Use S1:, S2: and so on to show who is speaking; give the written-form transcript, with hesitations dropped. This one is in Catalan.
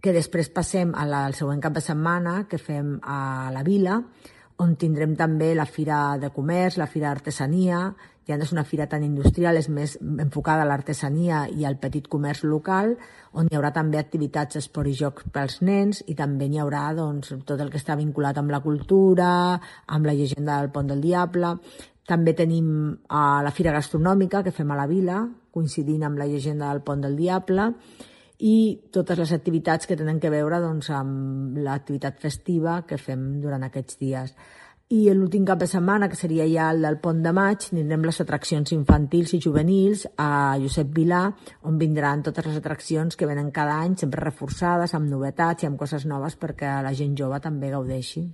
S1: que després passem al següent cap de setmana, que fem a la Vila, on tindrem també la Fira de Comerç, la Fira d'Artesania. Ja no és una fira tan industrial, és més enfocada a l'artesania i al petit comerç local, on hi haurà també activitats d'esport i joc pels nens, i també hi haurà tot el que està vinculat amb la cultura, amb la llegenda del Pont del Diable. També tenim la Fira Gastronòmica, que fem a la Vila, coincidint amb la llegenda del Pont del Diable, i totes les activitats que tenen que veure amb l'activitat festiva que fem durant aquests dies. I l'últim cap de setmana, que seria ja el del Pont de Maig, tindrem les atraccions infantils i juvenils a Josep Vilà, on vindran totes les atraccions que venen cada any, sempre reforçades, amb novetats i amb coses noves perquè la gent jove també gaudeixi.